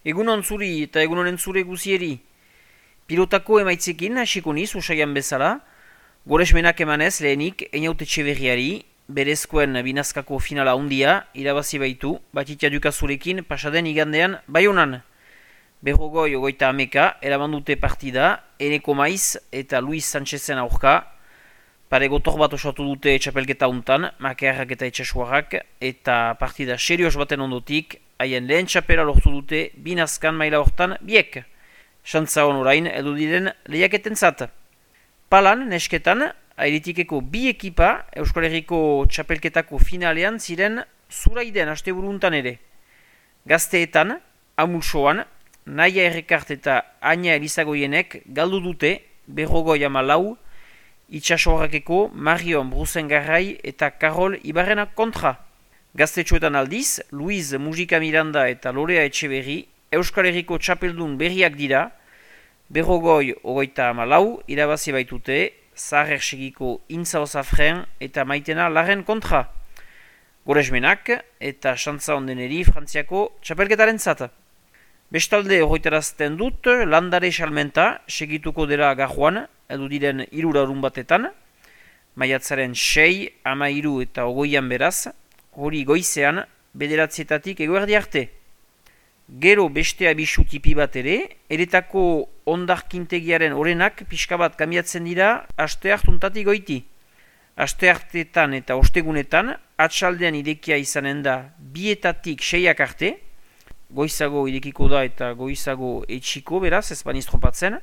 Egunon zuri eta egunonen zure guzieri. Pilotako emaitzekin hasiko niz usaian bezala, goresmenak emanez lehenik Einaute Etxeberriari, berezkoen binazkako finala handia irabazi baitu, Batitia Dukazurekin pasaden igandean Baionan. Berrogoi ogoita ameka, erabandute partida, Eneko Maiz eta Luis Sánchezen aurka, pare gotor bat osatu dute txapelketa untan, Makearrak eta Etxasuarrak, eta partida serioz baten ondotik, haien lehen txapela lortu dute binazkan maila hortan biek. Xantza hon orain edu diren lehiaketen zat. Palan, nesketan, airitikeko bi ekipa Euskal Herriko txapelketako finalean ziren Zuraiden asteburuntan ere. Gazteetan, Amulsoan, Naia Errekart eta Aina Elizagoienek galdu dute Berrogoi Amalau, Itxasoarrakeko Marion Brusengarrai eta Karol Ibarrena kontra. Gaztetxoetan aldiz, Luiz Mujika Miranda eta Lorea Etxeberri Euskal Herriko txapeldun berriak dira, Berrogoi ogoita amalau irabazi baitute, Zaher segiko Intza Zafren eta Maitena Laren kontra. Goresmenak eta Xantza ondeneri Frantziako txapelketaren zata. Bestalde horretarazten dut, landare salmenta segituko dela gajuan, edu diren 3 larun batetan, maiatzaren 6, 13 eta 20 beraz, hori goizean, 9 eguerdi arte. Gero beste abisu tipi bat ere, eretako ondarkintegiaren orenak pixka bat kamiatzen dira aste hartuntatik goiti. Aste hartetan eta ostegunetan, atxaldean irekia izanen da 2-6 arte, goizago irekiko da eta goizago etxiko beraz, ez baniz tropatzen,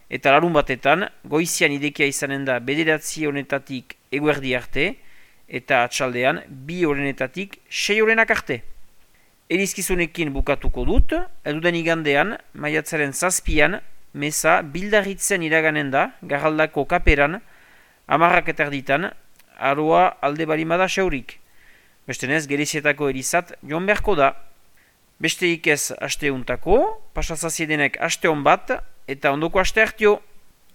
eta larun batetan, goizian irekia izanen da 9 honetatik eguerdi arte, eta atxaldean 2 horrenetatik 6 horrenak arte. Erizkizunekin bukatuko dut, eduden igandean, maiatzaren 7an, meza bildarritzen iraganen da, garraldako kaperan, 10 eta erditan, aroa alde balimada xaurik. Bestenez, Gerezietako erizat joan beharko da. Besteik ez aste untako, pasazaziedenek aste hon bat, eta ondoko aste hartio.